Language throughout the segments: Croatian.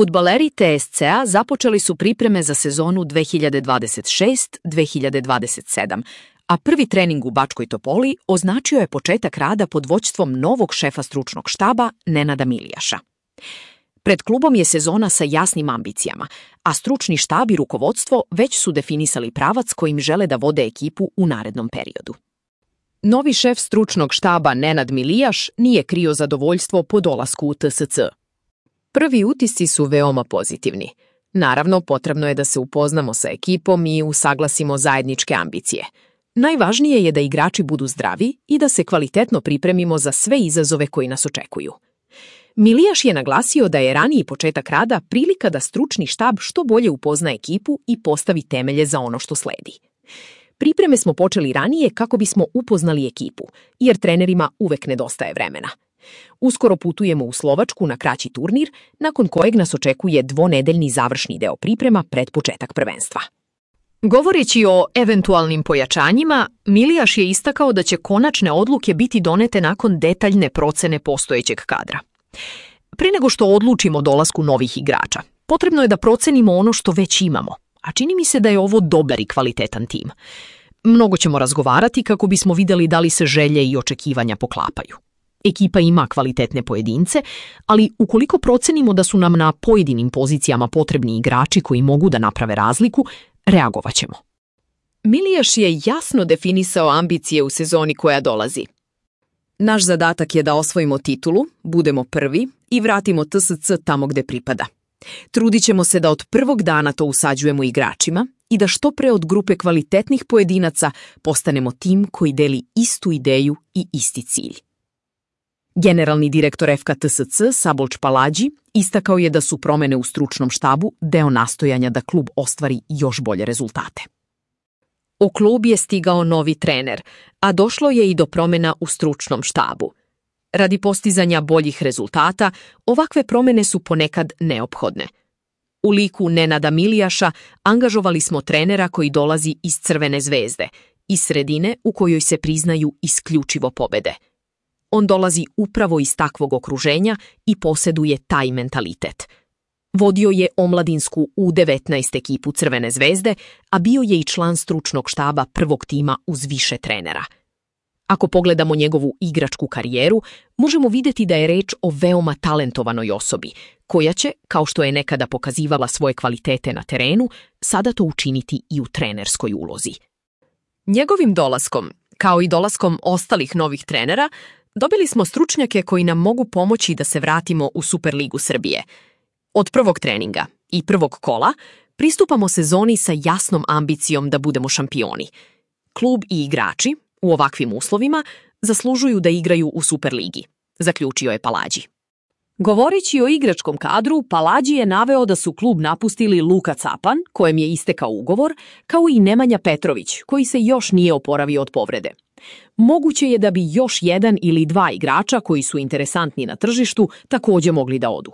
Fudbaleri TSC-a započeli su pripreme za sezonu 2026-2027, a prvi trening u Bačkoj Topoli označio je početak rada pod vođstvom novog šefa stručnog štaba Nenada Milijaša. Pred klubom je sezona sa jasnim ambicijama, a stručni štab i rukovodstvo već su definisali pravac kojim žele da vode ekipu u narednom periodu. Novi šef stručnog štaba Nenad Milijaš nije krio zadovoljstvo po dolasku u TSC. Prvi utisci su veoma pozitivni. Naravno, potrebno je da se upoznamo sa ekipom i usaglasimo zajedničke ambicije. Najvažnije je da igrači budu zdravi i da se kvalitetno pripremimo za sve izazove koji nas očekuju. Milijaš je naglasio da je raniji početak rada prilika da stručni štab što bolje upozna ekipu i postavi temelje za ono što sledi. Pripreme smo počeli ranije kako bismo upoznali ekipu, jer trenerima uvek nedostaje vremena. Uskoro putujemo u Slovačku na kraći turnir, nakon kojeg nas očekuje dvonedeljni završni deo priprema pred početak prvenstva. Govoreći o eventualnim pojačanjima, Milijaš je istakao da će konačne odluke biti donete nakon detaljne procene postojećeg kadra. Pre nego što odlučimo o dolasku novih igrača, potrebno je da procenimo ono što već imamo, a čini mi se da je ovo dobar i kvalitetan tim. Mnogo ćemo razgovarati kako bismo vidjeli da li se želje i očekivanja poklapaju. Ekipa ima kvalitetne pojedince, ali ukoliko procenimo da su nam na pojedinim pozicijama potrebni igrači koji mogu da naprave razliku, reagovat ćemo. Milijaš je jasno definisao ambicije u sezoni koja dolazi. Naš zadatak je da osvojimo titulu, budemo prvi i vratimo TSC tamo gde pripada. Trudit ćemo se da od prvog dana to usađujemo igračima i da što pre od grupe kvalitetnih pojedinaca postanemo tim koji deli istu ideju i isti cilj. Generalni direktor FK TSC Sabolč Palađi istakao je da su promene u stručnom štabu deo nastojanja da klub ostvari još bolje rezultate. U klub je stigao novi trener, a došlo je i do promena u stručnom štabu. Radi postizanja boljih rezultata, ovakve promene su ponekad neophodne. U liku Nenada Milijaša angažovali smo trenera koji dolazi iz Crvene zvezde, iz sredine u kojoj se priznaju isključivo pobede. On dolazi upravo iz takvog okruženja i posjeduje taj mentalitet. Vodio je omladinsku U19 ekipu Crvene zvezde, a bio je i član stručnog štaba prvog tima uz više trenera. Ako pogledamo njegovu igračku karijeru, možemo vidjeti da je reč o veoma talentovanoj osobi, koja će, kao što je nekada pokazivala svoje kvalitete na terenu, sada to učiniti i u trenerskoj ulozi. Njegovim dolaskom, kao i dolaskom ostalih novih trenera, dobili smo stručnjake koji nam mogu pomoći da se vratimo u Superligu Srbije. Od prvog treninga i prvog kola pristupamo sezoni sa jasnom ambicijom da budemo šampioni. Klub i igrači, u ovakvim uslovima, zaslužuju da igraju u Superligi, zaključio je Palađi. Govoreći o igračkom kadru, Palađi je naveo da su klub napustili Luka Capan, kojem je istekao ugovor, kao i Nemanja Petrović, koji se još nije oporavio od povrede. Moguće je da bi još jedan ili dva igrača koji su interesantni na tržištu također mogli da odu.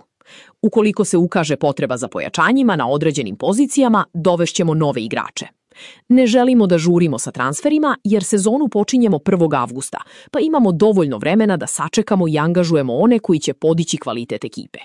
Ukoliko se ukaže potreba za pojačanjima na određenim pozicijama, dovešćemo nove igrače. Ne želimo da žurimo sa transferima jer sezonu počinjemo 1. avgusta, pa imamo dovoljno vremena da sačekamo i angažujemo one koji će podići kvalitet ekipe.